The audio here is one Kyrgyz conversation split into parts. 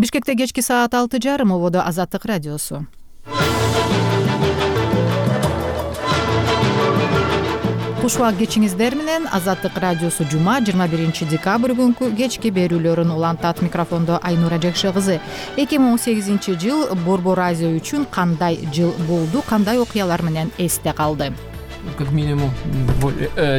Бишкекте кечки саат 6:30 ободо Азаттык радиосу. Куш убак кечиңиздер менен Азаттык радиосу жума 21 декабрь күнкү кечки берүүлөрүн улантат. Микрофондо Айнура Жакшы кызы. 2018 жыл Борбор Азия үчүн кандай жыл болду, кандай окуялар менен эсте калды? Как минимум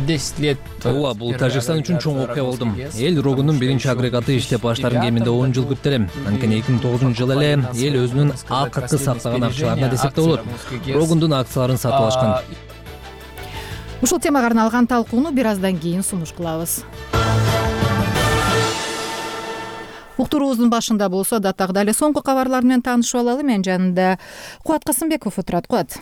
10 лет. Ооба, бул Тажикстан үчүн чоң окуя болду. Эл рогунун биринчи агрегаты иштеп баштарын кеминде 10 жыл күттү эле. Анткени 2009 жылы эле эл өзүнүн акыркы сактаган акчаларына десек да болот, рогундун акцияларын сатып алышкан. Ушул темага арналган талкууну бир аздан кийин сунуш кылабыз. Уктуруубуздун башында болсо даттагыдай эле соңку кабарлар менен таанышып алалы. Мен жанында Кубат Касымбеков отурат. Кубат.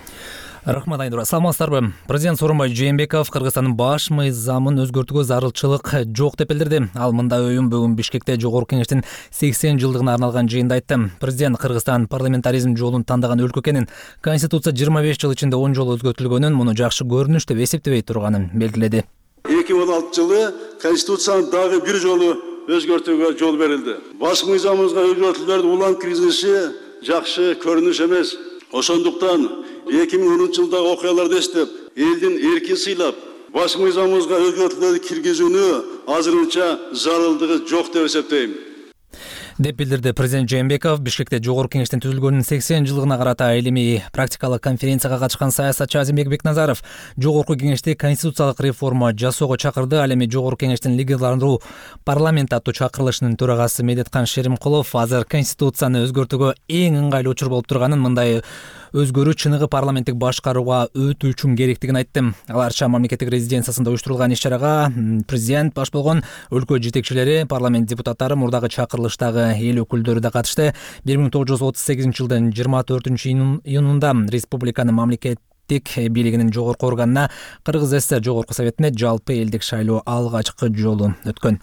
Рахмат Айнура. Саламатсыздарбы? Президент Сооронбай Жээнбеков Кыргызстандын баш мыйзамын өзгөртүүгө зарылчылык жок деп билдирди. Ал мындай оюн бүгүн Бишкекте Жогорку Кеңештин 80 жылдыгына арналган жыйында айтты. Президент Кыргызстан парламентаризм жолун тандаган өлкө экенин, Конституция 25 жыл ичинде 10 жолу өзгөртүлгөнүн, муну жакшы көрүнүш деп эсептебей турганын белгиледи. 2016 жылы Конституцияны дагы бир жолу өзгөртүүгө жол берилди. Баш мыйзамыбызга өзгөртүүлөрдүн улам киргизилиши жакшы көрүнүш эмес. Ошондуктан 2010 жылдагы окуяларды эстеп, элдин эркин сыйлап, баш мыйзамыбызга өзгөртүүлөрдү киргизүүнү азырынча зарылдыгы жок деп эсептейм, деп билдирди президент Жээнбеков. Бишкекте Жогорку Кеңештин түзүлгөнүнүн 80 жылдыгына карата илимий практикалык конференцияга катышкан саясатчы Азимбек Бекназаров Жогорку Кеңешти конституциялык реформа жасоого чакырды. Ал эми Жогорку Кеңештин легитимдүү парламент аттуу чакырылышынын төрагасы Медеткан Шеримкулов азыр конституцияны өзгөртүүгө эң ыңгайлуу учур болуп турганын, мындай өзгөрүү чыныгы парламенттик башкарууга өтүү үчүн керектигин айтты. Аларча мамлекеттик резиденциясында уюштурулган иш-чарага президент баш болгон өлкө жетекчилери, парламент депутаттары, мурдагы чакырылыштагы эл өкүлдөрү да катышты. 1938 жылдын 24 июнунда республиканын мамлекеттик бийлигинин жогорку органына Кыргыз ССР Жогорку Советине жалпы элдик шайлоо алгачкы жолу өткөн.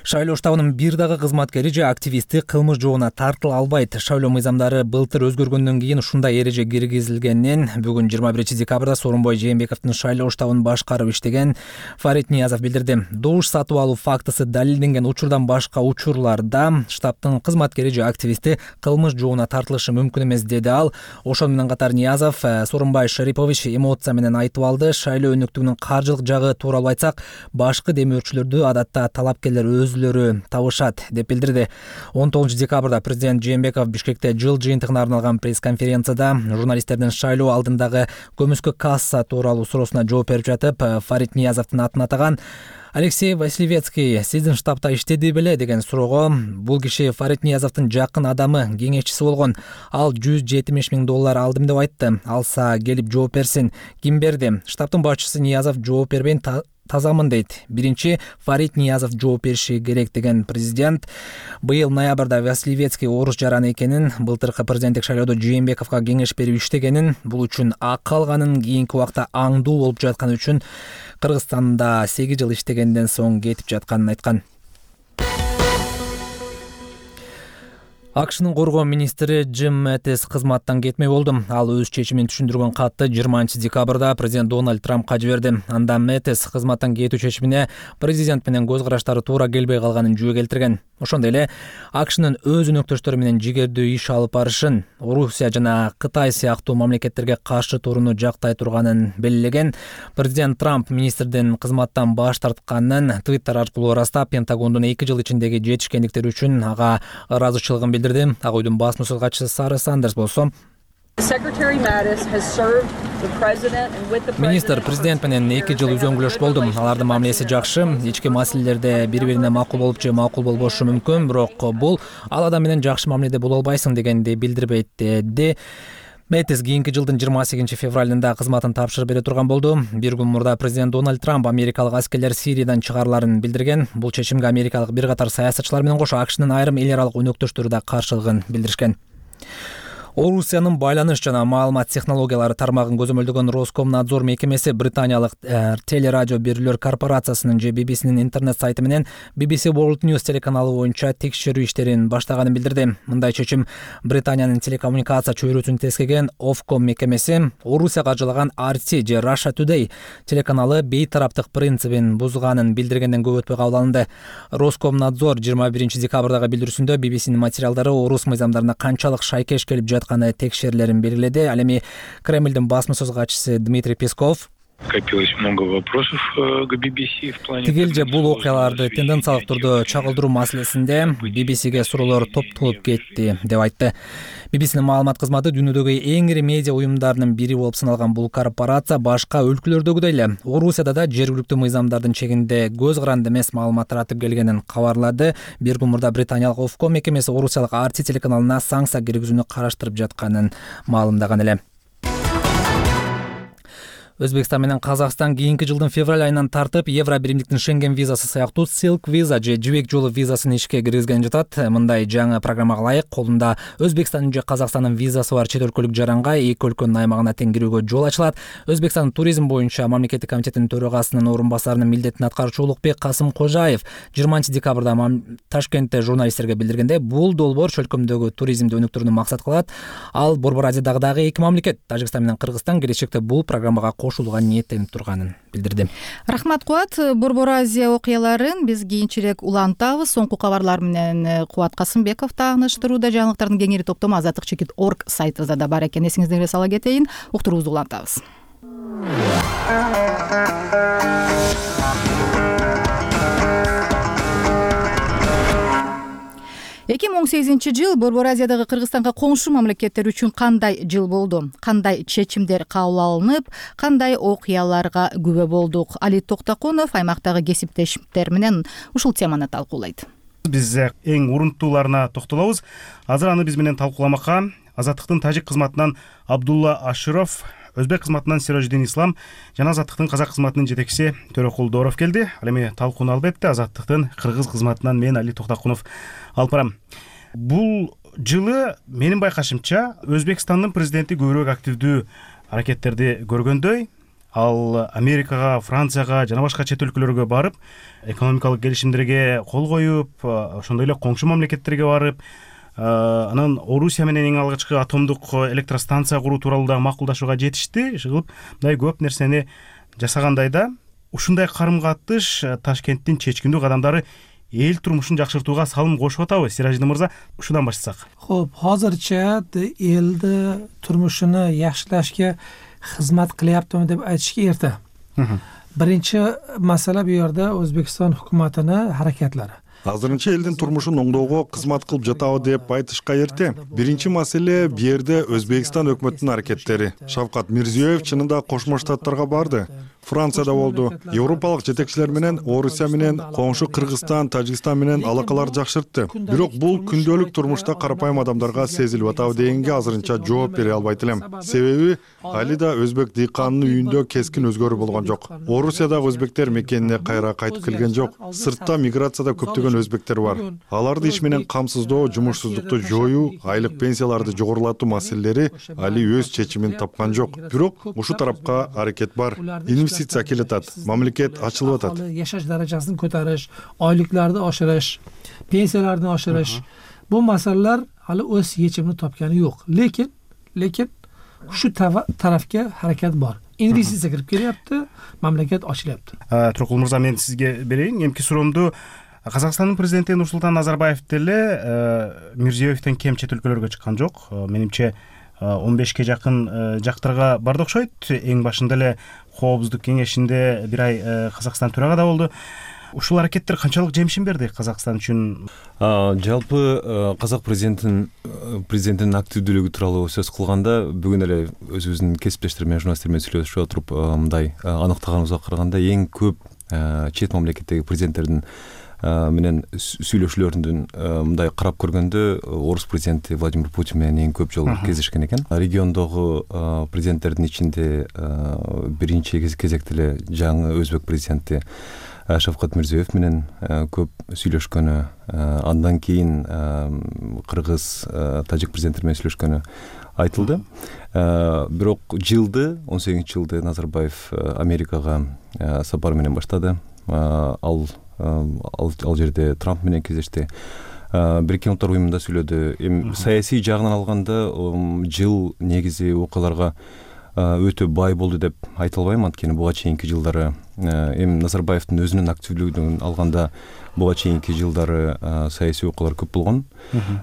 Шайлоо штабынын бир дагы кызматкери же активисти кылмыш жообуна тартыла албайт. Шайлоо мыйзамдары былтыр өзгөргөндөн кийин ушундай эреже киргизилгенин бүгүн 21 декабрда Сооронбай Жээнбековдун шайлоо штабын башкарып иштеген Фарид Ниязов билдирди. Добуш сатып алуу фактысы далилденген учурдан башка учурларда штабтын кызматкери же активисти кылмыш жообуна тартылышы мүмкүн эмес, деди ал. Ошону менен катар Ниязов Сооронбай Шарипович эмоция менен айтып алды. Шайлоо өнүктүгүнүн каржылык жагы тууралуу айтсак, башкы демөөрчүлөрдү адатта талапкерлер өзүлөрү табышат, деп билдирди. 19 декабрда президент Жээнбеков Бишкекте жыл жыйынтыгына арналган пресс-конференцияда журналисттердин шайлоо алдындагы көмүскө касса тууралуу суроосуна жооп берип жатып, Фарид Ниязовдун атын атаган. Алексей Василевецкий сиздин штабта иштеди беле деген суроого бул киши Фарид Ниязовдун жакын адамы, кеңешчиси болгон. Ал $170 000 алдым деп айтты. Алса келип жооп берсин. Ким берди? Штабтын башчысы Ниязов жооп бербейин тазамын дейт. Биринчи Фарид Ниязов жооп бериши керек деген президент. Быйыл ноябрда Василевецкий орус жараны экенин, былтыркы президенттик шайлоодо Жээнбековго кеңеш берип иштегенин, бул үчүн акы алганын, кийинки убакта аңдуу болуп жатканы үчүн Кыргызстанда 8 жыл иштегенден соң кетип жатканын айткан. АКШнын коргоо министри Джим Мэттис кызматтан кетмей болду. Ал өз чечимин түшүндүргөн катты 20 декабрда президент Дональд Трампка жиберди. Анда Мэттис кызматтан кетүү чечимине президент менен көз караштары туура келбей калганын жөө келтирген. Ошондой эле АКШнын өз өнөктөштөрү менен жигердүү иш алып барышын, Орусия жана Кытай сыяктуу мамлекеттерге каршы туруну жактай турганын белгилеген. Президент Трамп министрдин кызматтан баш тартканын Twitter аркылуу ырастап, Пентагондун 2 жыл ичиндеги жетишкендиктери үчүн ага ыраазычылыгын билдирди. Ак-үйдүн бас мусулкачысы Сара Сандерс болсо, министр президент менен 2 жыл үзөңгүлөш болду. Алардын мамилеси жакшы, ички маселелерде бири-бирине макул болуп же макул болбошу мүмкүн, бирок бул ал адам менен жакшы мамиледе боло албайсың дегенди билдирбейт, деди. Мэттис кийинки жылдын 28 февралында кызматын тапшырып бере турган болду. Бир күн мурда президент Дональд Трамп америкалык аскерлер Сириядан чыгарыларын билдирген. Бул чечимге америкалык бир катар саясатчылар менен кошо АКШнын айрым эл аралык өнөктөштөрү да каршылыгын билдиришкен. Орусиянын байланыш жана маалымат технологиялары тармагын көзөмөлдөгөн Роскомнадзор мекемеси британиялык телерадио берүүлөр корпорациясынын же BBC'нин интернет сайты менен BBC World News телеканалы боюнча текшерүү иштерин баштаганын билдирди. Мындай чечим Британиянын телекоммуникация чөйрөсүн тескеген Ofcom мекемеси Орусияга каржылаган RT же Russia Today телеканалы бейтараптык принцибин бузганын билдиргенден көп өтпөй кабыл алынды. Роскомнадзор 21 декабрдагы билдирүүсүндө BBC'нин материалдары орус мыйзамдарына канчалык шайкеш келип жатканы текшерилерин белгиледи. Ал эми Кремлдин басма сөз катчысы Дмитрий Песков Копилось много вопросов к BBC в плане. Тигил же бул окуяларды тенденциялык түрдө чагылдыруу маселесинде BBC'ге суроолор топтолуп кетти деп айтты. BBC'нин маалымат кызматы дүйнөдөгү эң ири медиа уюмдарынын бири болуп саналган бул корпорация башка өлкөлөрдөгүдөй эле Орусияда да жергиликтүү мыйзамдардын чегинде көз каранды эмес маалымат таратып келгенин кабарлады. Бир күн мурда британиялык Ofcom мекемеси орусиялык RT телеканалына санкция киргизүүнү караштырып жатканын маалымдаган эле. Өзбекстан менен Казакстан кийинки жылдын февраль айынан тартып Евро биримдиктин Шенген визасы сыяктуу Silk Visa же жибек жолу визасын ишке киргизген жатат. Мындай жаңы программага ылайык колунда Өзбекстандын же Казакстандын визасы бар чет өлкөлүк жаранга эки өлкөнүн аймагына тең кирүүгө жол ачылат. Өзбекстандын туризм боюнча мамлекеттик комитетинин төрагасынын орун басарынын милдетин аткаруучу Улукбек Касым Кожаев 20 декабрда Ташкентте журналисттерге билдиргенде, бул долбоор чөлкөмдөгү туризмди өнүктүрүүнү максат кылат. Ал Борбор Азиядагы эки мамлекет Тажикстан менен Кыргызстан келечекте бул программага кошулууга ниеттенип турганын билдирди. Рахмат Кубат. Борбор Азия окуяларын биз кийинчерээк улантабыз. Соңку кабарлар менен Кубат Касымбеков тааныштырууда. Жаңылыктардын кеңири топтому azatlik.org сайтыбызда да бар экен. Эсиңиздерге сала кетейин. Уктуруубузду улантабыз. 2018 жыл Борбор Азиядагы Кыргызстанга коңшу мамлекеттер үчүн кандай жыл болду? Кандай чечимдер кабыл алынып, кандай окуяларга күбө болдук? Али Токтокунов аймактагы кесиптештер менен ушул теманы талкуулайт. Биз эң урунтууларына токтолобуз. Азыр аны биз менен талкууламакка Азаттыктын тажик кызматынан Абдулла Аширов, Өзбек кызматынан Сирождин Ислам жана Азаттыктын казак кызматынын жетекчиси Төрөкул Дооров келди. Ал эми талкууну албетте Азаттыктын кыргыз кызматынан мен Али Токтокунов алып барам. Бул жылы менин байкашымча Өзбекстандын президенти көбүрөөк активдүү аракеттерди көргөндөй, ал Америкага, Францияга жана башка чет өлкөлөргө барып, экономикалык келишимдерге кол коюп, ошондой эле коңшу мамлекеттерге барып, анан Орусия менен эң алгачкы атомдук электростанция куруу тууралуу да макулдашууга жетишти. Иши мындай көп нерсени жасагандай да, ушундай карым-катыш Ташкенттин чечкиндүү кадамдары эл турмушун жакшыртууга салым кошуп атабы? Сираждин мырза, ушудан баштасак. Хо'p, hozircha elni turmushini yaxshilashga xizmat qilyaptimi deb aytishga erta. Birinchi masala bu yerda O'zbekiston hukumatini harakatlari. Азырынча элдин турмушун оңдоого кызмат кылып жатабы деп айтышка эрте. Биринчи маселе бу жерде Өзбекстан өкмөтүнүн аракеттери. Шавкат Мирзиёев чынында Кошмо Штаттарга барды. Францияда болду. Европалык жетекчилер менен, Орусия менен, коңшу Кыргызстан, Тажикстан менен алакалар жакшыртты. Бирок бул күндөлүк турмушта карапайым адамдарга сезилип атабы дегенге азырынча жооп бере албайт элем. Себеби али да өзбек дыйканынын үйүндө кескин өзгөрүү болгон жок. Орусиядагы өзбектер мекенине кайра кайтып келген жок. Сыртта миграцияда көптөгөн өзбектер бар. Аларды иш менен камсыздоо, жумушсуздукту жоюу, айлык пенсияларды жогорулатуу маселелери али өз чечимин тапкан жок. Бирок ушу тарапка аракет бар. Инвестиция келип атат, мамлекет ачылып атат. Yashash darajasini ko'tarish, oyliklarni oshirish, pensiyalarni oshirish. Bu masalalar hali o'z yechimini topgani yo'q. Lekin shu tarafga harakat bor. Investitsiya kirib kelyapti, mamlakat ochilyapti. Төрөкул мырза, мен сизге берейин. Эмки суроомду Казакстандын президенти Нурсултан Назарбаев деле Мирзиёевден кем чет өлкөлөргө чыккан жок. Менимче 15ке жакын жактарга барды окшойт. Эң башында эле Коопсуздук кеңешинде бир ай Казакстан төрагада болду. Ушул аракеттер канчалык жемишин берди Казакстан үчүн? Жалпы казак президентинин активдүүлүгү тууралуу сөз кылганда, бүгүн эле өзүбүздүн кесиптештер менен, журналисттер менен сүйлөшүп отуруп мындай аныктаганыбызга караганда, эң көп чет мамлекеттеги президенттердин менен сүйлөшүүлөрүндөн мындай карап көргөндө орус президенти Владимир Путин менен эң көп жолу кездешкен экен. Региондогу президенттердин ичинде биринчи кезекте эле жаңы өзбек президенти Шавкат Мирзиёев менен көп сүйлөшкөнү, андан кийин кыргыз, тажик президенттери менен сүйлөшкөнү айтылды. Бирок 18-жылды Назарбаев Америкага сапар менен баштады. Ал жерде Трамп менен кездешти. Бириккен Улуттар уюмунда сүйлөдү. Эми саясий жагынан алганда жыл негизи окуяларга өтө бай болду деп айта албайм, анткени буга чейинки жылдары эми Назарбаевдин өзүнүн активдүүлүгүн алганда буга чейинки жылдары саясий окуялар көп болгон.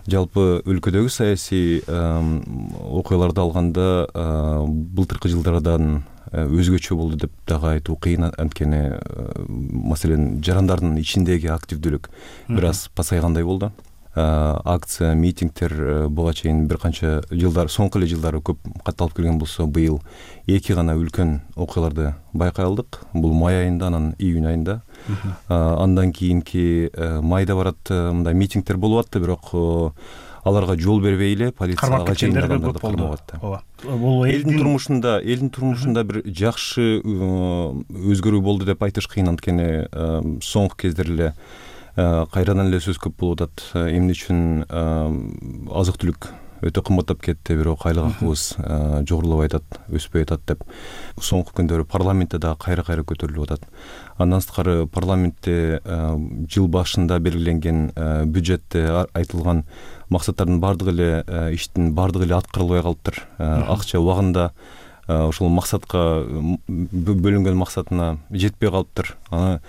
Жалпы өлкөдөгү саясий окуяларды алганда былтыркы жылдардан өзгөчө болду деп дагы айтуу кыйын, анткени маселен жарандардын ичиндеги активдүүлүк бир аз пасайгандай болду. Акция, митингдер буга чейин бир канча жылдар, соңку эле жылдары көп катталып келген болсо, быйыл 2 гана үлкөн окуяларды байкай алдык. Бул май айында, анан июнь айында. Андан кийинки майда барат мындай митингдер болуп атты, бирок аларга жол бербей эле полицияга чейиндагандарды кармап атты. Бул элдин турмушунда бир жакшы өзгөрүү болду деп айтыш кыйын, анткени соңку кездер эле кайрадан эле сөз көп болуп атат. Эмне үчүн азык түлүк өтө кымбаттап кетти, бирок айлык акыбыз жогорулабай атат, өспөй атат деп соңку күндөрү парламентте дагы кайра көтөрүлүп атат. Андан сырткары парламентте жыл башында белгиленген бюджетте айтылган максаттардын бардыгы эле иштин бардыгы эле аткарылбай калыптыр. Акча убагында ошол максатка бөлүнгөн максатына жетпей калыптыр. Аны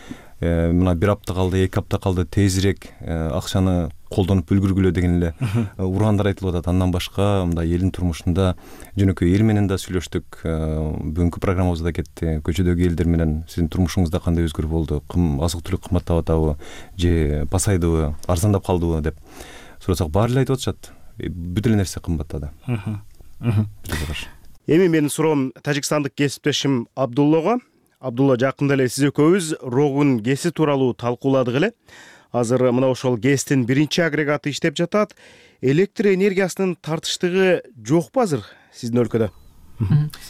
мына 1 апта калды, 2 апта калды, тезирээк акчаны колдонуп үлгүргүлө деген эле ураандар айтылып атат. Андан башка мындай элдин турмушунда жөнөкөй эл менен да сүйлөштүк. Бүгүнкү программабызда кетти. Көчөдөгү элдер менен сиздин турмушуңузда кандай өзгөрүү болду? Азык түлүк кымбаттап атабы же пасайдыбы, арзандап калдыбы деп сурасак, баары эле айтып атышат. Бүт эле нерсе кымбаттады. Эми менин суроом тажикстандык кесиптешим Абдуллага. Абдулла, жакында эле сиз экөөбүз Рогун ГЭСи тууралуу талкууладык эле. Азыр мына ошол ГЭСтин 1-чи агрегаты иштеп жатат. Электр энергиясынын тартыштыгы жокпу азыр сиздин өлкөдө?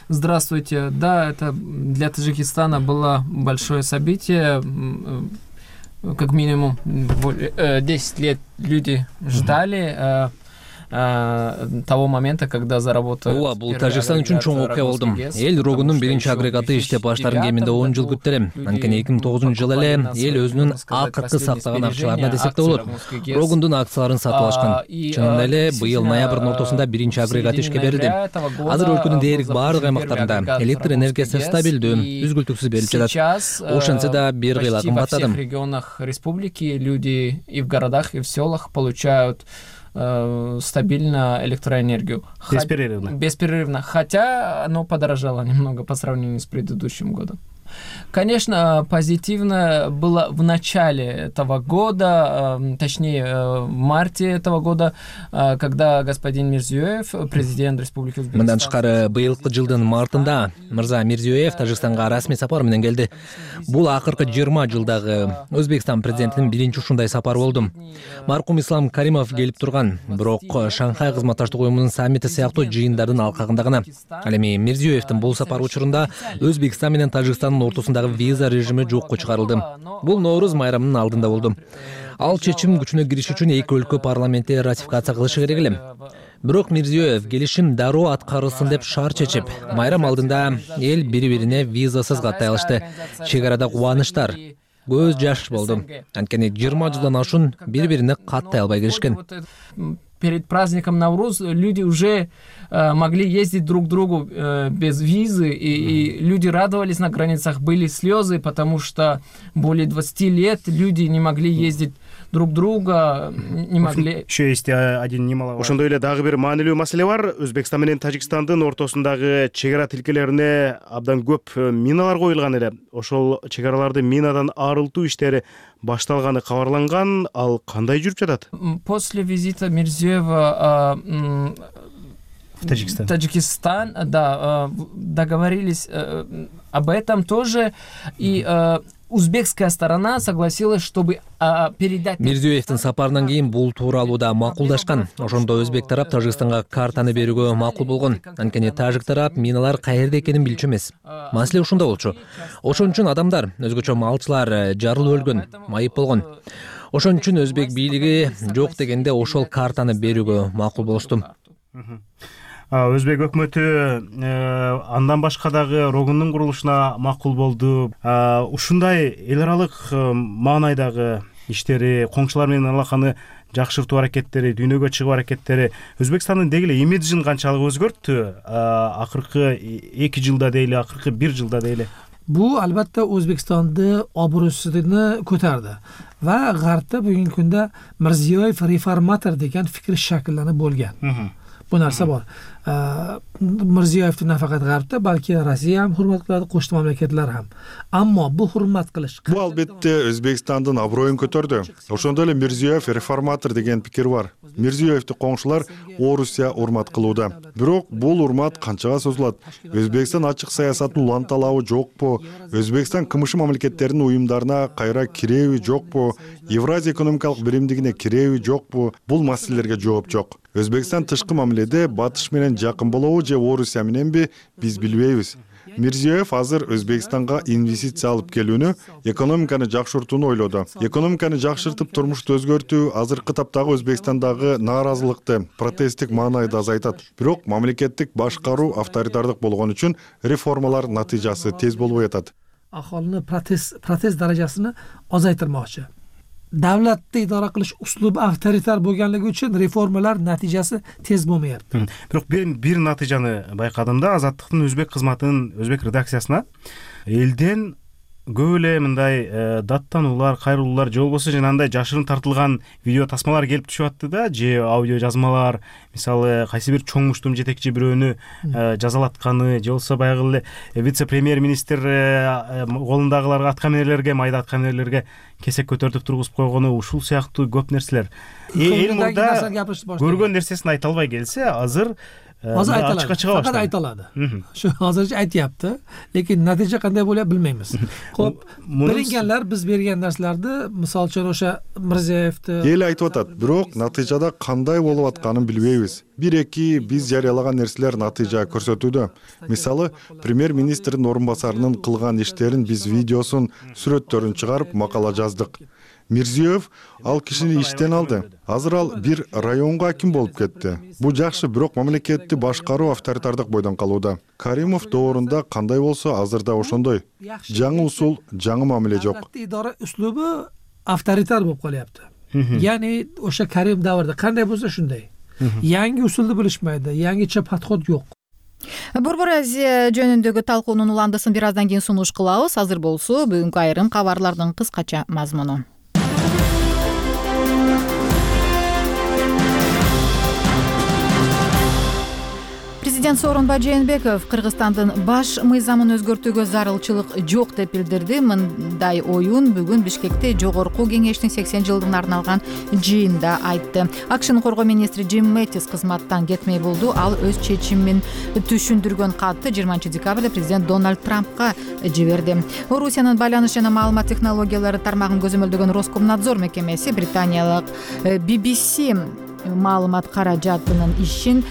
Здравствуйте. Да, это для Таджикистана было большое событие. Как минимум 10 лет люди ждали того момента, когда заработал. Ооба, бул Тажикстан үчүн чоң окуя болду. Эл Рогунун 1-чи агрегаты иштеп баштарын кеминде 10 жыл күттү эле. Анткени 2009-жылы эле эл өзүнүн акыркы сактаган акчаларына десек да болот, Рогундун акцияларын сатып алышкан. Чынында эле быйыл ноябрдын ортосунда 1-чи агрегат ишке берилди. Азыр өлкөнүн дээрлик баардык аймактарында электр энергиясы стабилдүү, үзгүлтүксүз берилип жатат. Ошентсе да бир кыйла кымбаттады. Во всех регионах республики люди и в городах, и в селах получают стабильно электроэнергию. Беспрерывно. Хотя оно подорожало немного по сравнению с предыдущим годом. Конечно, позитивно было в начале этого года, точнее в марте этого года, когда господин Мирзиёев, президент Республики Узбекистан. Мындан тышкары быйылкы жылдын мартында мырза Мирзиёев Тажикстанга расмий сапар менен келди. Бул акыркы 20 жылдагы Өзбекстан президентинин 1-чи ушундай сапары болду. Маркум Ислам Каримов келип турган, бирок Шанхай кызматташтык уюмунун саммити сыяктуу жыйындардын алкагында гана. Ал эми Мирзиёевдин бул сапары учурунда Өзбекстан менен Тажикстандын ортосундагы виза режими жокко чыгарылды. Бул Ноорuz майрамынын алдында болду. Ал чечим күчүнө кириш үчүн эки өлкө парламентте ратификация кылышы керек эле. Бирок Мирзиёев келишим дароо аткарылсын деп шарт чечип, майрам алдында эл бири-бирине визасыз каттай алышты. Чек арада кубанычтар, көз жаш болду. Анткени 20 жылдан ашуун бири-бирине каттай албай келишкен. Перед праздником Навруз люди уже могли ездить друг к другу без визы, и люди радовались на границах, были слезы, потому что более 20 лет люди не могли ездить друг друга, не могли. Еще есть один немаловажный. Ошондой эле дагы бир маанилүү маселе бар. Өзбекстан менен Тажикстандын ортосундагы чек ара тилкелерине абдан көп миналар коюлган эле. Ошол чек араларды минадан арылтуу иштери башталганы кабарланган. Ал кандай жүрүп жатат? После визита Мирзиёева в Таджикистан, да, договорились об этом тоже, и узбекская сторона согласилась, чтобы передать. Мирзиёевдин сапарынан кийин бул тууралуу да макулдашкан. Ошондо өзбек тарап Тажикстанга картаны берүүгө макул болгон. Анткени тажик тарап миналар каерде экенин билчү эмес. Маселе ушунда болчу. Ошон үчүн адамдар, өзгөчө малчылар жарылып өлгөн, майып болгон. Ошон үчүн өзбек бийлиги жок дегенде ошол картаны берүүгө макул болушту. Өзбек өкмөтү андан башка дагы рогундун курулушуна макул болду. Ушундай эл аралык маанайдагы иштери, коңшулар менен алаканы жакшыртуу аракеттери, дүйнөгө чыгуу аракеттери Өзбекстандын деги эле имиджин канчалык өзгөрттү? Акыркы 2 жылда дейли, акыркы 1 жылда дейли. Бул албетте Өзбекстанды обрусуну көтөрдү ва Гарпта бүгүнкү күндө Мирзиёев реформатор деген фикир шакилланып болгон. Bu narsa bor. Mirziyoyevni nafaqat G'arbda, balki Rossiya ham hurmat qiladi, qo'shni mamlakatlar ham. Ammo bu hurmat qilish bu albatta O'zbekistonning obro'yini ko'tardi. O'shanda эле Mirziyoyev реформатор деген пикир бар. Mirziyoyevni qo'ng'ishlar Орусия hurmat qiluvdi. Бирок бул hurmat qanchaga созулат? O'zbekiston ochiq siyosatini уланталабы жокпу? O'zbekiston кымышы мамлекеттеринин уюмдарына кайра киреби жокпу? Евразия экономикалык биримдигине киреби жокпу? Бул маселелерге жооп жок. Өзбекстан тышкы мамиледе батыш менен жакын болобу же Орусия мененби биз билбейбиз. Мирзиёев азыр Өзбекстанга инвестиция алып келүүнү, экономиканы жакшыртууну ойлоду. Экономиканы жакшыртып турмушту өзгөртүү азыркы таптагы Өзбекстандагы нааразылыкты, протесттик маанайды азайтат. Бирок мамлекеттик башкаруу авторитардык болгон үчүн реформалар натыйжасы тез болбой атат. Аholini protest darajasini ozaytirmoqchi. Davlatni idora qilish uslubi avtoritar bo'lganligi uchun reformalar natijasi tez bo'lmayapti. Бирок бир натыйжаны байкадым да, Азаттыктын өзбек кызматынын өзбек редакциясына элден көп эле мындай даттануулар, кайрылуулар же болбосо жанагындай жашырын тартылган видео тасмалар келип түшүп атты да, же аудио жазмалар, мисалы кайсы бир чоң муштум жетекчи бирөөнү жазалатканы, же болбосо баягы эле вице-премьер-министр колундагыларга, аткаминерлерге, майда аткаминерлерге кесек көтөртүп тургузуп койгону, ушул сыяктуу көп нерселер. Эл мурда көргөн нерсесин айта албай келсе, азыр ачыкка чыга баштады. Факат айта алады. Şu азырча айтыпты, lekin натыйжа кандай болот билмейбиз. Хоп, берилгенler биз берген нерселерди, мисалы үчүн ошо Мирзиёевди эл айтып атат, бирок натыйжада кандай болуп атканын билбейбиз. Бир-эки биз жарыялаган нерселер натыйжа көрсөтүүдө. Мисалы, премьер-министрдин орун басарынын кылган иштерин биз видеосун, сүрөттөрүн чыгарып макала жаздык. Мирзиёев ал кишини иштен алды. Азыр ал бир районго аким болуп кетти. Бул жакшы, бирок мамлекетти башкаруу авторитардык бойдон калууда. Каримов доорунда кандай болсо, азырда ошондой. Жаңы усул, жаңы мамиле жок. Идара услубу авторитар болуп калыпты. Яни ошо Карим даврда кандай болсо ошондой. Yangi usuldu bilishmaydi, yangicha подход жок. Борбор Азия жөнүндөгү талкуунун уландысын бир аздан кийин сунуш кылабыз. Азыр болсо бүгүнкү айрым кабарлардын кыскача мазмуну. Президент Сооронбай Жээнбеков Кыргызстандын баш мыйзамын өзгөртүүгө зарылчылык жок деп билдирди. Мындай оюн бүгүн Бишкекте Жогорку кеңештин 80 жылдыгына арналган жыйында айтты. АКШнын коргоо министри Джим Мэттис кызматтан кетмей болду. Ал өз чечимин түшүндүргөн катты 20 декабрда президент Дональд Трампка жиберди. Орусиянын байланыш жана маалымат технологиялары тармагын көзөмөлдөгөн Роскомнадзор мекемеси британиялык BBC маалымат каражатынын ишин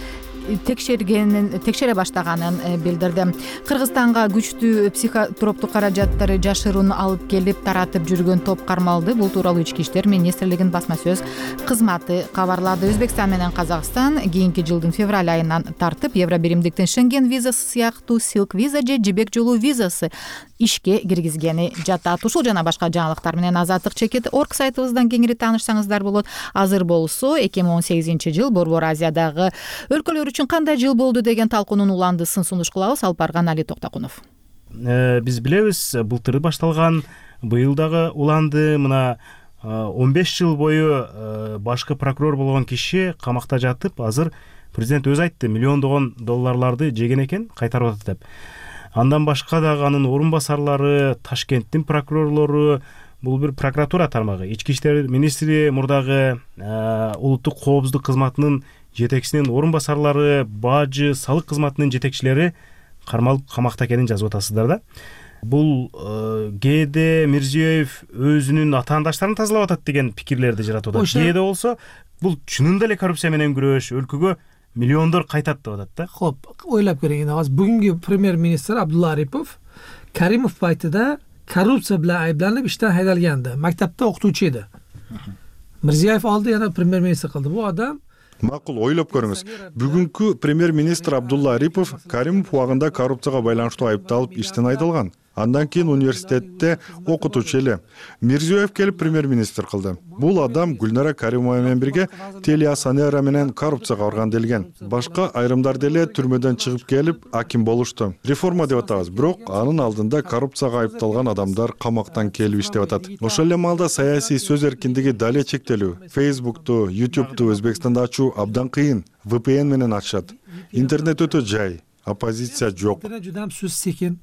текшере баштаганын билдирди. Кыргызстанга күчтүү психотроптук каражаттары жашыруун алып келип таратып жүргөн топ кармалды. Бул тууралуу Ички иштер министрлигинин басма сөз кызматы кабарлады. Өзбекстан менен Казакстан кийинки жылдын февраль айынан тартып Евро биримдиктин Шенген визасы сыяктуу Silk виза же жибек жолу визасы ишке киргизгени жатат. Ушул жана башка жаңылыктар менен Азаттык чекит орг сайтыбыздан кеңири таанышсаңыздар болот. Азыр болсо 2018-жыл Борбор Азиядагы өлкөлөр үчүн кандай жыл болду деген талкуунун уландысын сунуш кылабыз. Алып барган Али Токтокунов. Биз билебиз, былтыр башталган, быйыл дагы уланды. Мына 15 жыл бою башкы прокурор болгон киши камакта жатып, азыр президент өзү айтты, миллиондогон долларларды жеген экен, кайтарып атат деп. Андан башка дагы анын орун басарлары, Ташкенттин прокурорлору, бул бир прокуратура тармагы, Ички иштер министри мурдагы улуттук коопсуздук кызматынын жетекчисинин орун басарлары, бажы, салык кызматынын жетекчилери кармалып камакта экенин жазып атасыздар да. бул кээде Мирзиёев өзүнүн атаандаштарын тазалап атат деген пикирлерди жаратып атат. Кээде болсо бул чынында эле коррупция менен күрөш, өлкөгө миллиондор кайтат деп атат да. Хоп, ойлоп көрөйүн. Азыр бүгүнкү премьер-министр Абдулла Арипов Каримов пайтыда коррупция менен айыпталып иштен хайдалганды. Мактапта окутуучу эди. Мирзиёев алды, жана премьер-министр кылды. Бул адам макул, ойлоп көрүңүз. Бүгүнкү премьер-министр Абдулла Арипов Каримов убагында коррупцияга байланыштуу айыпталып иштен айдалган. Андан кийин университетте окутуучу эле. Мирзиёев келип премьер-министр кылды. Бул адам Гүлнара Каримова менен бирге Телеасанера менен коррупцияга барган делген. Башка айрымдар деле түрмөдөн чыгып келип аким болушту. Реформа деп атабыз, бирок анын алдында коррупцияга айыпталган адамдар камактан келип иштеп атат. Ошол эле маалда саясий сөз эркиндиги дале чектелүү. Facebook'ту, YouTube'ту Өзбекстанда ачуу абдан кыйын. VPN менен ачышат. Интернет өтө жай, оппозиция жок. Жудам сөз секин.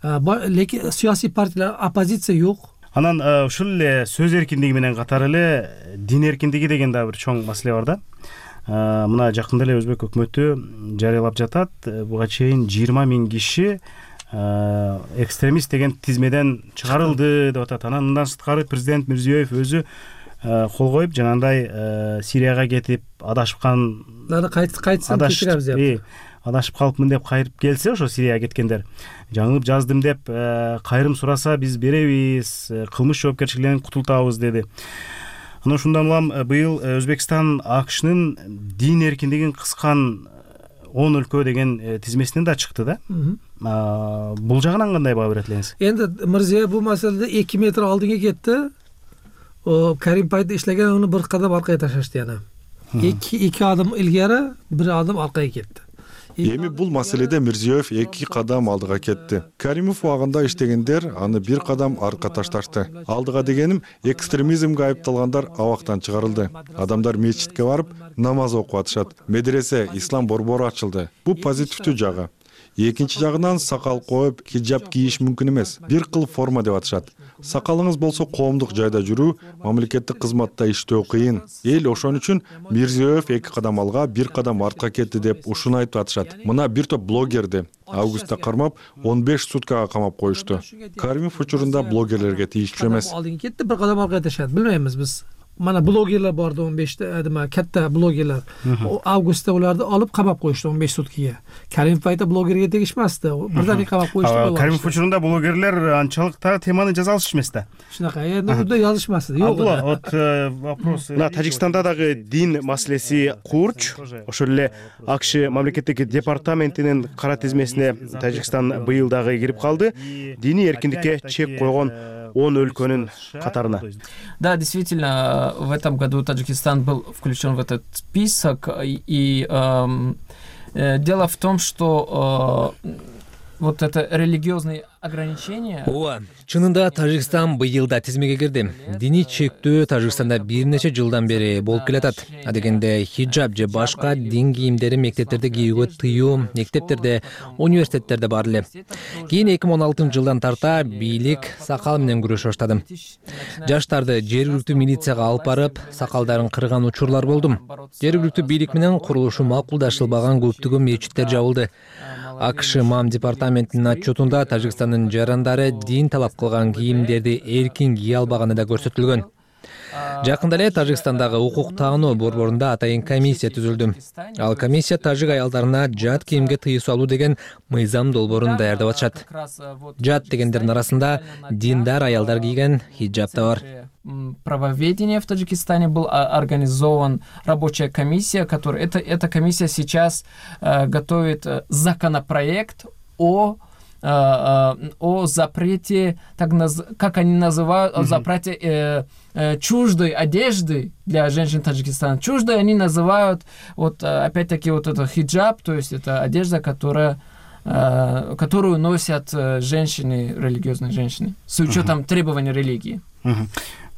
Лекин саясий партиялар оппозиция жок. Анан ушул эле сөз эркиндиги менен катары эле дин эркиндиги деген да бир чоң маселе бар да. Мына жакында эле Өзбек өкмөтү жарыялап жатат. Буга чейин 20 000 киши экстремист деген тизмеден чыгарылды деп атат. Анан мындан сырткары президент Мирзиёев өзү кол коюп жанагындай Сирияга кетип адашыпкан, кайтсын кечиребиз деп. Адашып калыпмын деп кайрып келсе, ошо Сирияга кеткендер жаңылып жаздым деп кайрым сураса биз беребиз, кылмыш жоопкерчилигинен кутултабыз деди. Анан ушундан улам быйыл Өзбекстан АКШнын дин эркиндигин кыскан 10 өлкө деген тизмесинен да чыкты да. Бул жагынан кандай баа берет элеңиз? Энди Мирзиёев бул маселеде 2 метр алдыңга кетти. Карим пайда иштеген аны бир кадам аркага ташашты яна. 2 адым илгери, 1 адым аркага кетти. Эми бул маселеде Мирзиёев 2 кадам алдыга кетти. Каримов убагында иштегендер аны 1 кадам арка ташташты. Алдыга дегеним, экстремизмге айыпталгандар абактан чыгарылды. Адамдар мечитке барып намаз окуп атышат. Медресе, ислам борбору ачылды. Бул позитивдүү жагы. Экинчи жагынан сакал коюп, хиджаб кийиш мүмкүн эмес. Бир кыл форма деп атышат. Сакалыңыз болсо коомдук жайда жүрүү, мамлекеттик кызматта иштөө кыйын. Эл ошон үчүн Мирзиёев 2 кадам алга, 1 кадам артка кетти деп ушуну айтып атышат. Мына бир топ блогерди августта кармап 15 суткага камап коюшту. Каримов учурунда блогерлерге тийиштүү эмес. Алдыга кетти, 1 кадам аркага ташат. Билбейбиз биз. Mana blogerlar bordi 15 ta, katta blogerlar. Avgustda ularni olib qamab qo'yishdi 15 sutkaga. Karimov payti blogerga tegishmasdi. Birdan qamab qo'yishdi. Karimov uchunda blogerlar anchalik temani jaza olishmasdi. Shunaqa, endi unda yozishmasdi. Yo'q. Вот вопрос. На Тажикстанда дагы дин маселеси курч. Ошол эле АКШ мамлекеттик департаментинин кара тизмесине Тажикстан быйыл дагы кирип калды. Диний эркиндикке чек койгон 10 өлкөнүн катарына. Да, действительно, в этом году Таджикистан был включен в этот список. И дело в том, что вот это религиозные ограничения. Ооба, чынында Тажикстан быйылда тизмеге кирди. Диний чектөө Тажикстанда бир нече жылдан бери болуп келатат. Адегенде хиджаб же башка дин кийимдери мектептерде кийүүгө тыюу, мектептерде, университеттерде бар эле. Кийин 2016-жылдан тарта бийлик сакал менен күрөшө баштады. Жаштарды жергиликтүү милицияга алып барып, сакалдарын кырган учурлар болду. Жергиликтүү бийлик менен курулушу макулдашылбаган көптөгөн мечиттер жабылды. АКШ МАМ департаментинин отчетунда Тажикстандын жарандары дин талап кылган кийимдерди эркин кие албаганы да көрсөтүлгөн. Жакында эле Тажикстандагы укук таануу борборунда атайын комиссия түзүлдү. Ал комиссия тажик аялдарына жат кийимге тыюу салуу деген мыйзам долбоорун даярдап атышат. Жат дегендердин арасында диндар аялдар кийген хиджаб да бар. Правоведения в Таджикистане был организован рабочая комиссия, которая эта комиссия сейчас готовит законопроект о запрете, как они называют, о запрете чуждой одежды для женщин Таджикистана. Чуждой они называют, вот опять-таки вот это хиджаб, то есть это одежда, которую носят женщины, религиозные женщины, с учетом требований религии.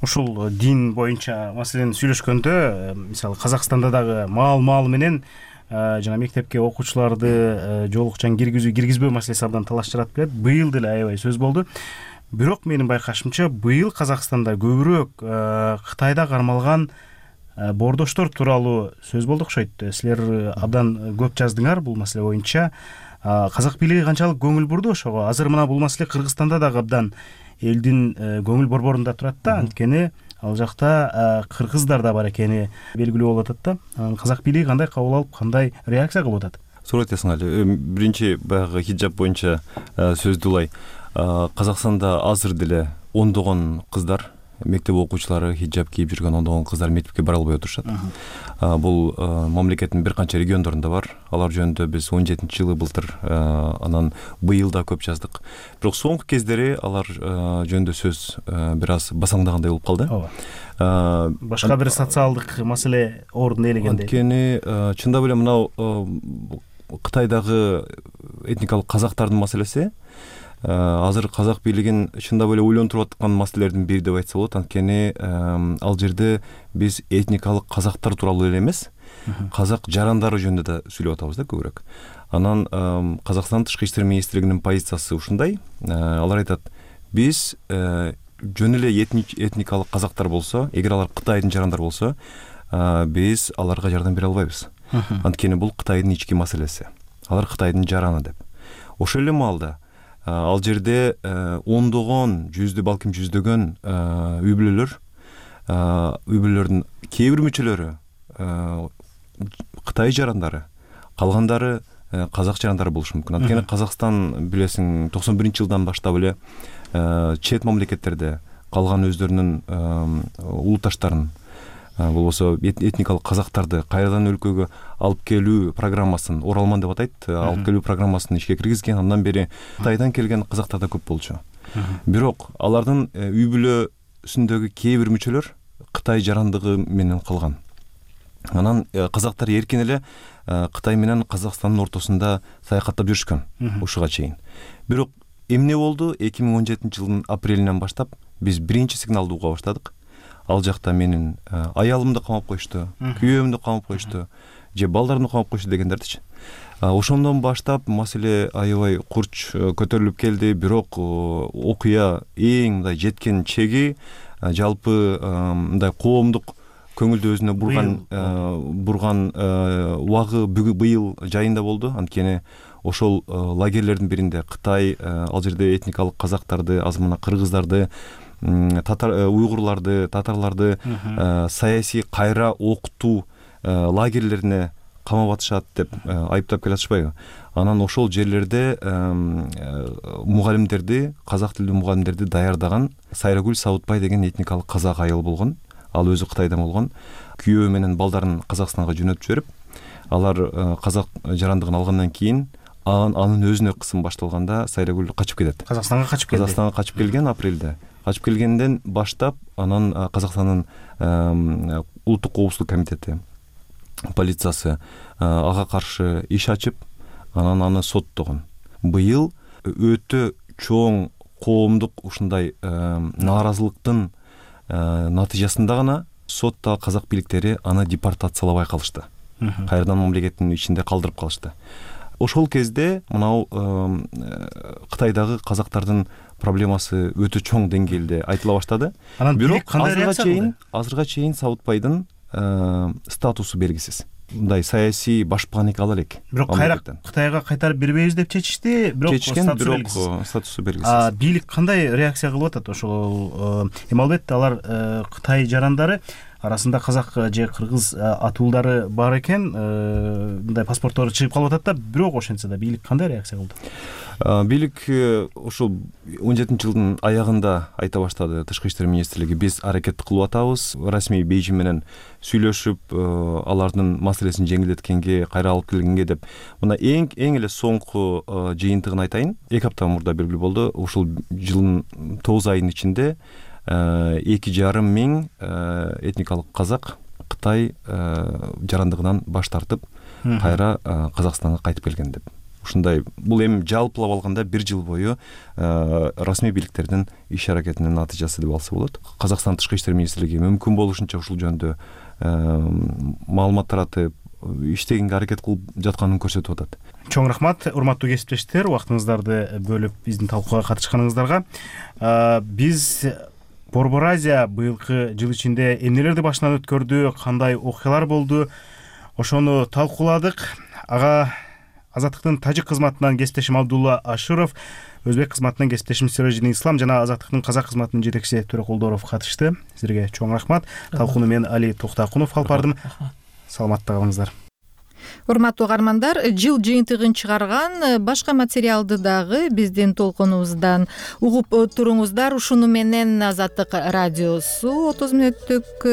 Ушул дин боюнча маселени сүйлөшкөндө, мисалы Казакстанда дагы маал менен жана мектепке окуучуларды жолукчан киргизбөө маселеси абдан талаш жаратып келет. Быйыл деле аябай сөз болду. Бирок менин байкашымча быйыл Казакстанда көбүрөөк Кытайда кармалган боордоштор тууралуу сөз болду окшойт. Силер абдан көп жаздыңар бул маселе боюнча. казак бийлиги канчалык көңүл бурду ошого? Азыр мына бул маселе Кыргызстанда дагы абдан элдин көңүл борборунда турат да, анткени ал жакта кыргыздар да бар экени белгилүү болуп атат да. Казак бийлиги кандай кабыл алып, кандай реакция кылып атат? Туура айтасың Али. Биринчи баягы хиджаб боюнча сөздү улай. Казакстанда азыр деле ондогон кыздар, мектеп окуучулары хиджаб кийип жүргөн ондогон кыздар мектепке бара албай отурушат. Бул мамлекеттин бир канча региондорунда бар. Алар жөнүндө биз 17-жылы былтыр, анан быйыл да көп жаздык. Бирок соңку кездери алар жөнүндө сөз бир аз басаңдагандай болуп калды. Башка бир социалдык маселе ордун ээлегендей. Анткени чындап эле мынау Кытайдагы этникалык казактардын маселеси азыр казак бийлигин чындап эле ойлонтуруп аткан маселелердин бири деп айтса болот. Анткени ал жерде биз этникалык казактар тууралуу эле эмес, казак жарандары жөнүндө да сүйлөп атабыз да көбүрөөк. Анан Казакстан тышкы иштер министрлигинин позициясы ушундай. Алар айтат, биз жөн эле этникалык казактар болсо, эгер алар Кытайдын жарандары болсо, биз аларга жардам бере албайбыз. Анткени бул Кытайдын ички маселеси. Алар Кытайдын жараны деп. Ошол эле маалда ал жерде ондогон, балким жүздөгөн үй-бүлөлөрдүн кээ бир мүчөлөрү Кытай жарандары, калгандары казак жарандары болушу мүмкүн. Анткени Казакстан билесиң 91-жылдан баштап эле чет мамлекеттерде калган өздөрүнүн улутташтарын, болбосо этникалык казактарды кайрадан өлкөгө алып келүү программасын, Оралман деп атайт, алып келүү программасын ишке киргизген. Андан бери Кытайдан келген казактар да көп болчу. Бирок алардын үй-бүлөсүндөгү кээ бир мүчөлөр Кытай жарандыгы менен калган. Анан казактар эркин эле Кытай менен Казакстандын ортосунда саякаттап жүрүшкөн ушуга чейин. Бирок эмне болду? 2017-жылдын апрелинен баштап биз биринчи сигналды уга баштадык. Ал жакта менин аялымды камап коюшту, күйөөмдү камап коюшту, же балдарымды камап коюшту дегендердичи. Ошондон баштап маселе аябай курч көтөрүлүп келди. Бирок окуя эң мындай жеткен чеги жалпы мындай коомдук көңүлдү өзүнө бурган убагы быйыл жайында болду. Анткени ошол лагерлердин биринде Кытай ал жерде этникалык казактарды, азмана кыргыздарды, уйгурларды, татарларды саясий кайра окутуу лагерлерине камап атышат деп айыптап келатышпайбы? Анан ошол жерлерде мугалимдерди, казак тилдүү мугалимдерди даярдаган Сайрагүл Сабытбай деген этникалык казак айыл болгон. Ал өзү Кытайдан болгон. Күйөө менен балдарын Казакстанга жөнөтүп жиберип, алар казак жарандыгын алгандан кийин анын өзүнө кысым башталганда Сайрагүл качып кетет. Казакстанга качып келген апрелде. Качып келгенден баштап анан Казакстандын улуттук коопсуздук комитети, полициясы ага каршы иш ачып, анан аны соттогон. Быйыл өтө чоң коомдук ушундай нааразылыктын натыйжасында гана сотто казак бийликтери аны депортациялабай калышты. Кайрадан мамлекеттин ичинде калдырып калышты. Ошол кезде мынау Кытайдагы казактардын проблемасы өтө чоң деңгээлде айтыла баштады. Бирок азырга чейин Сабытбайдын статусу белгисиз. Мындай саясий башпан эки ала элек. Бирок Кытайга кайтарып бербейбиз деп чечишти, бирок статусу белгисиз. Бийлик кандай реакция кылып атат ошол? Эми албетте алар Кытай жарандары арасында казак же кыргыз атуулдары бар экен, мындай паспорттору чыгып калып атат да, бирок ошентсе да бийлик кандай реакция кылды? Бийлик ошол 17-жылдын аягында айта баштады. Тышкы иштер министрлиги биз аракет кылып атабыз, расмий Бейжиң менен сүйлөшүп, алардын маселесин жеңилдеткенге, кайра алып келгенге деп. Мына эң эле соңку жыйынтыгын айтайын. 2 апта мурда белгилүү болду. Ушул жылдын 9 айынын ичинде 2,5 миң этникалык казак Кытай жарандыгынан баш тартып, кайра Казакстанга кайтып келген деп. Ушундай, бул эми жалпылап алганда 1 жыл бою расмий бийликтердин иш аракетинин натыйжасы деп алса болот. Казакстан тышкы иштер министрлиги мүмкүн болушунча ушул жөнүндө маалымат таратып, иштегенге аракет кылып жатканын көрсөтүп атат. Чоң рахмат, урматтуу кесиптештер, убактыңыздарды бөлүп биздин талкууга катышканыңыздарга. Биз Борбор Азия быйылкы жыл ичинде эмнелерди башынан өткөрдү, кандай окуялар болду, ошону талкууладык. Ага Азаттыктын тажик кызматынан кесиптешим Абдулла Аширов, өзбек кызматынан кесиптешим Сиражидин Ислам жана Азаттыктын казак кызматынын жетекчиси Төрөкулдоров катышты. Силерге чоң рахмат. Талкууну мен Али Токтакунов алып бардым. Саламатта калыңыздар. Урматтуу угармандар, жыл жыйынтыгын чыгарган башка материалды дагы биздин толкунубуздан угуп туруңуздар. Ушуну менен Азаттык радиосу 30 мүнөттүк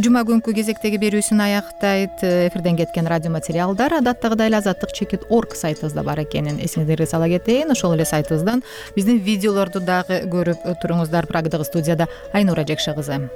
жума күнкү кезектеги берүүсүн аяктайт. Эфирден кеткен радио материалдар адаттагыдай эле azattik.org сайтыбызда бар экенин эсиңиздерге сала кетейин. Ошол эле сайтыбыздан биздин видеолорду дагы көрүп туруңуздар. Прагдагы студияда Айнура Жекше кызы.